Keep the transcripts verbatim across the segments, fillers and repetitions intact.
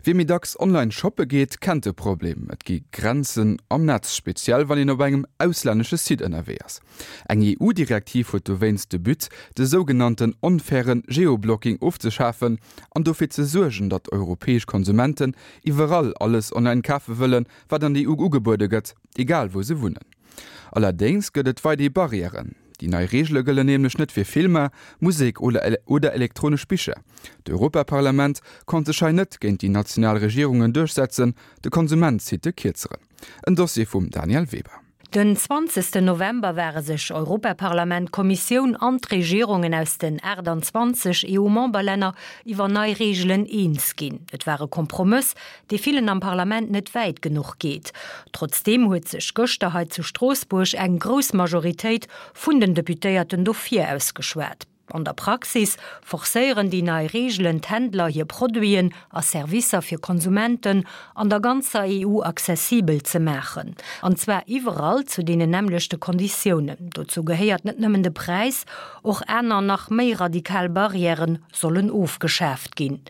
Wie méi dacks online shoppe geet, kennt de Problem. Et gi Grenzen am Netz, speziell wann een op engem auslännesche Site ënnerwee ass. Eng E U-Direktiv huet dowéinst de But, de sougenannten onfairen Geoblocking ofzeschafen an dofir ze suergen, datt europäesch Konsumenten iwwerall alles online kafe wëllen, wat an der E U ugebuede gëtt, egal wou se wunnen. Allerdéngs gëtt et weider Barrièren. Déi nei Reegele gëllen nämlech net fir Filmer, Musek oder oder elektronesch Bicher. D'Europaparlament konnt sech hei net géint déi national Regierungen duerchsetzen, de Konsument zitt de Kierzeren. En Dossier vum Danièle Weber. Den zwanzegsten November ware sech Europaparlament, Kommissioun an d'Regierungen aus den aachtanzwanzeg E U-Memberlänner iwwer nei Reegelen eens ginn. Et war e Kompromëss, dee villen am Parlament net wäit genuch geet. Trotzdeem huet sech gëschter hei zu Stroossbuerg eng grouss Majoritéit vun den Deputéierten dofir ausgeschwat. An der Praxis forcéieren déi nei Reegelen d'Händler, hir Produiten a Servicer fir Konsumenten an der ganzer E U accessibel ze maachen. An zwar iwwerall zu deenen nämmlechte Konditiounen. Dozou gehéiert net nëmmen de Präis, och aner nach méi radikal Barrièren sollen ofgeschaaft ginn.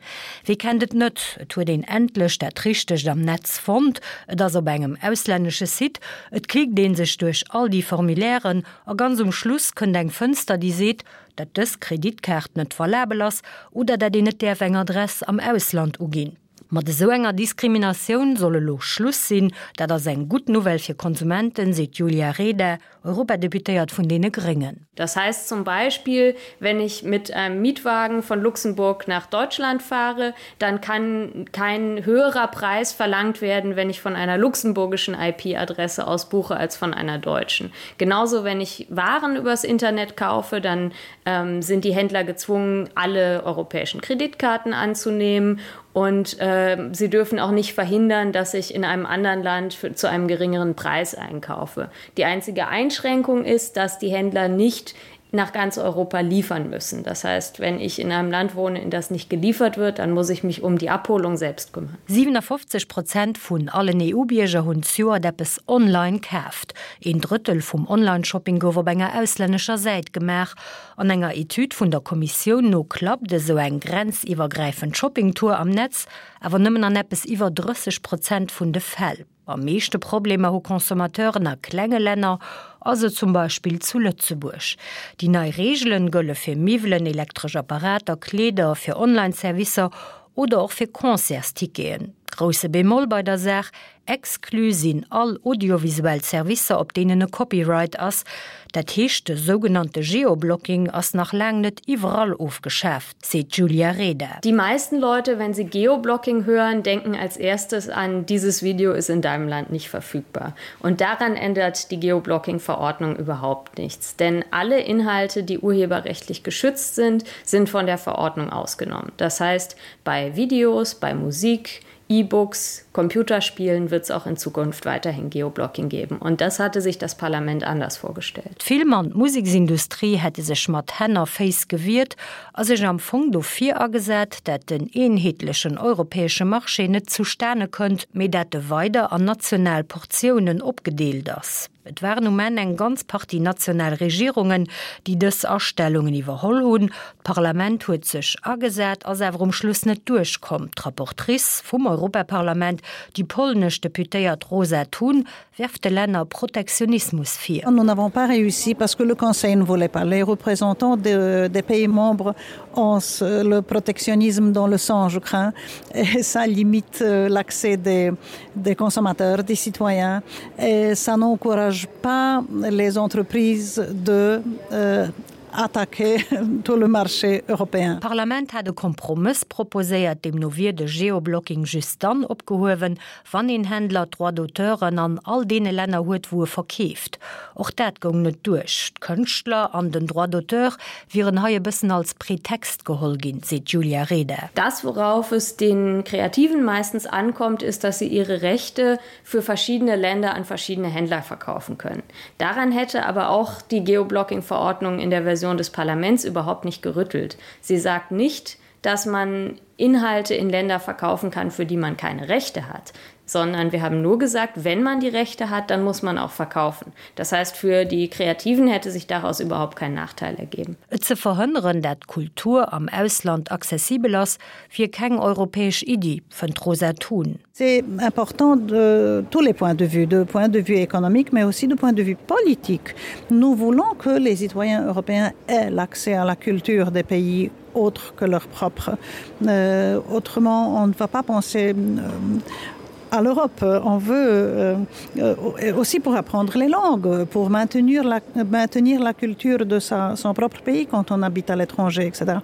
Wie kennt et net, et huet een endlech dat Richtegt am Netz fonnt, et ass op engem auslännesche Site, et klickt ee sech duerch all déi Formulairen a ganz um Schluss kënnt eng Fënster, déi seet, dat dës Kreditkaart net valabel ass oder dat een net däerf eng Adress am Ausland uginn. Mat esou enger Diskriminatioun soll elo Schluss sinn. Dat ass eng gutt Nouvelle fir Konsumenten, seet d'Julia Reda, Europadeputéiert vun deene Gréngen. Das heißt zum Beispiel, wenn ich mit einem Mietwagen von Luxemburg nach Deutschland fahre, dann kann kein höherer Preis verlangt werden, wenn ich von einer luxemburgischen I P-Adresse aus buche als von einer deutschen. Genauso, wenn ich Waren übers Internet kaufe, dann ähm, sind die Händler gezwungen, alle europäischen Kreditkarten anzunehmen und äh, sie dürfen auch nicht verhindern, dass ich in einem anderen Land für, zu einem geringeren Preis einkaufe. Die einzige Einschränkung ist, dass die Händler nicht nach ganz Europa liefern müssen. Das heißt, wenn ich in einem Land wohne, in das nicht geliefert wird, dann muss ich mich um die Abholung selbst kümmern. siewenafofzeg Prozent vun allen E U-Bierger hunn zejoert eppes online kaaft. Een Drëttel vum Online-Shopping gouf op enger auslännescher Säit gemaach. An enger Etüd vun der Kommissioun no klappt esou eng grenziwwergräifend Shoppingtour am Netz awer nëmmen an eppes iwwer drësseg Prozent vun de Fäll. Am meeschte Problemer hu Consommateuren a klenge Länner, also zum Beispill zu Lëtzebuerg. Déi nei Reegelen gëlle fir Miwwelen, elektresch Apparater, Kleeder, fir Online-Servicer oder och fir Concertsticketen. Grousse Bémol bei der Saach, Exclus sinn all audiovisuell Servicer, op deenen e Copyright ass. Dat heescht, de sougenannte Geoblocking ass nach laang net iwwerall ofgeschaaft, seet d'Julia Reda. Die meisten Leute, wenn sie Geoblocking hören, denken als erstes an: Dieses Video ist in deinem Land nicht verfügbar. Und daran ändert die Geoblocking-Verordnung überhaupt nichts. Denn alle Inhalte, die urheberrechtlich geschützt sind, sind von der Verordnung ausgenommen. Das heißt, bei Videos, bei Musik, E-Books, Computerspielen wird es auch in Zukunft weiterhin Geoblocking geben. Und das hatte sich das Parlament anders vorgestellt. D'Film an d'Museksindustrie hätte sech mat Hänn a Féiss gewiert a sech am Fong dofir agesat, dat den eenheetlechen europäesche Marché net zustane kënnt, mee dat e weider an national Portiounen opgedeelt ass. Et waren um Enn eng ganz Partie national Regierungen, déi dës Astellungen iwwerholl hunn. D'Parlament huet sech agesat, ass awer um Schluss net duerchkomm. D'Rapportrice vum Europaparlament, déi polnesch Deputéiert Rosa Thun, werft de Länner Protektionismus vir. Nous n'avons pas réussi parce que le Conseil ne voulait pas. Les représentants de, des pays membres ont le protectionnisme dans le sang, je crains, et ça limite euh, l'accès des, des consommateurs, des citoyens, et ça n'encourage pas les entreprises de euh, attaquer tout le marché européen. D'Parlament hat e Kompromëss proposéiert, deemno wier de Geoblocking just dann opgehuewen, wann een Händler d'Droits d'auteuren an all deene Länner huet, wou e verkeeft. Och dat goung net duerch. D'Kënschtler an den Droit d'auteur wieren hei e bëssen als Pretext geholl ginn, seet d'Julia Reda. Das, worauf es den Kreativen meistens ankommt, ist, dass sie ihre Rechte für verschiedene Länder an verschiedene Händler verkaufen können. Daran hätte aber auch die Geoblocking-Verordnung in der Version des Parlaments überhaupt nicht gerüttelt. Sie sagt nicht, dass man Inhalte in Länder verkaufen kann, für die man keine Rechte hat, sondern wir haben nur gesagt, wenn man die Rechte hat, dann muss man auch verkaufen. Das heißt, für die Kreativen hätte sich daraus überhaupt kein Nachteil ergeben. Et ze verhënneren, dat Kultur am Ausland accessibel ass, wier keng europäesch Iddi, fënnt d'Rosa Thun. C'est important de tous les points de vue, de point de vue économique, mais aussi de point de vue politique. Nous voulons que les citoyens européens aient l'accès à la culture des pays autres que leur propre. Euh, autrement, on ne va pas penser euh, à l'Europe. On veut euh, euh, aussi pour apprendre les langues, pour maintenir la, maintenir la culture de sa, son propre pays quand on habite à l'étranger, etc.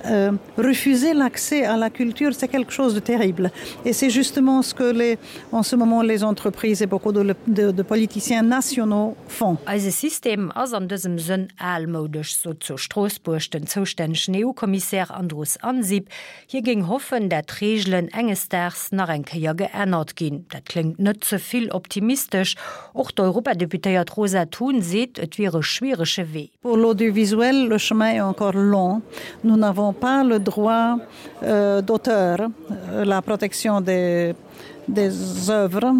Euh, refuser l'accès à la culture, c'est quelque chose de terrible. Et c'est justement ce que les, en ce moment les entreprises et beaucoup de, de, de politiciens nationaux font. Eise System ass an dësem Sënn almoudesch, sot zu Stroossbuerg den zoustännegen EU-Kommissär Andrus Ansip. Hie géing hoffen, dat d'Reegelen enges Daags nach eng Kéier geännert ginn. Dat kléngt net ze vill optimistesch. Och d'Europadeputéiert Rosa Thun seet, et wier e schwierege Wee. Pour l'audiovisuel, le chemin est encore long. Nous n'avons pas le droit euh, d'auteur, euh, la protection des, des œuvres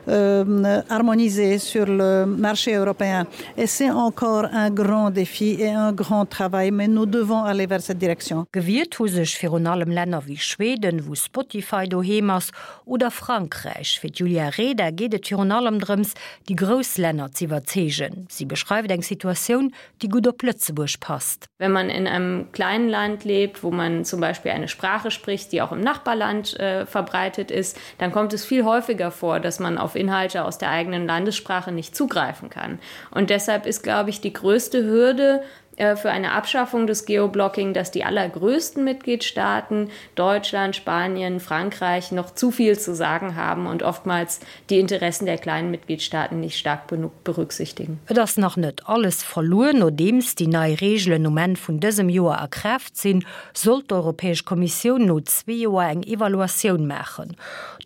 euh, harmonisée sur le marché européen. Et c'est encore un grand défi et un grand travail, mais nous devons aller vers cette direction. Gewiert hu sech virun allem Länner wéi Schweden, wou Spotify doheem ass, oder Frankräich. Fir d'Julia Reda geet et virun allem drëms, déi grouss Länner z'iwwerzeegen. Si beschreift eng Situatioun, déi gutt op Lëtzebuerg passt. Wenn man in einem kleinen Land lebt, wo man zum Beispiel eine Sprache spricht, die auch im Nachbarland äh, verbreitet ist, dann kommt es viel häufiger vor, dass man auf Inhalte aus der eigenen Landessprache nicht zugreifen kann. Und deshalb ist, glaube ich, die größte Hürde äh, für eine Abschaffung des Geoblocking, dass die allergrößten Mitgliedstaaten Deutschland, Spanien, Frankreich noch zu viel zu sagen haben und oftmals die Interessen der kleinen Mitgliedstaaten nicht stark genug berücksichtigen. Et ass nach net alles verluer. Nodeems déi nei Reegelen um Enn vun dësem Joer a Kraaft sinn, soll d'Europäesch Kommissioun no zwee Joer eng Evaluatioun maachen.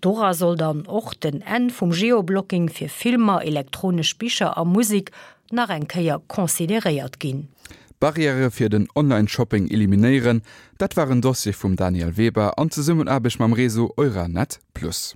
Dora soll dann och den Enn vum Geoblocking fir Filmer, elektronesch Bicher a Musek nach eng Kéier consideréiert ginn. Barrièrë fir den Online-Shopping eliminéieren, dat war en Dossier vum Daniel Weber an Zesummenaarbecht mam Réseau Euranet Plus.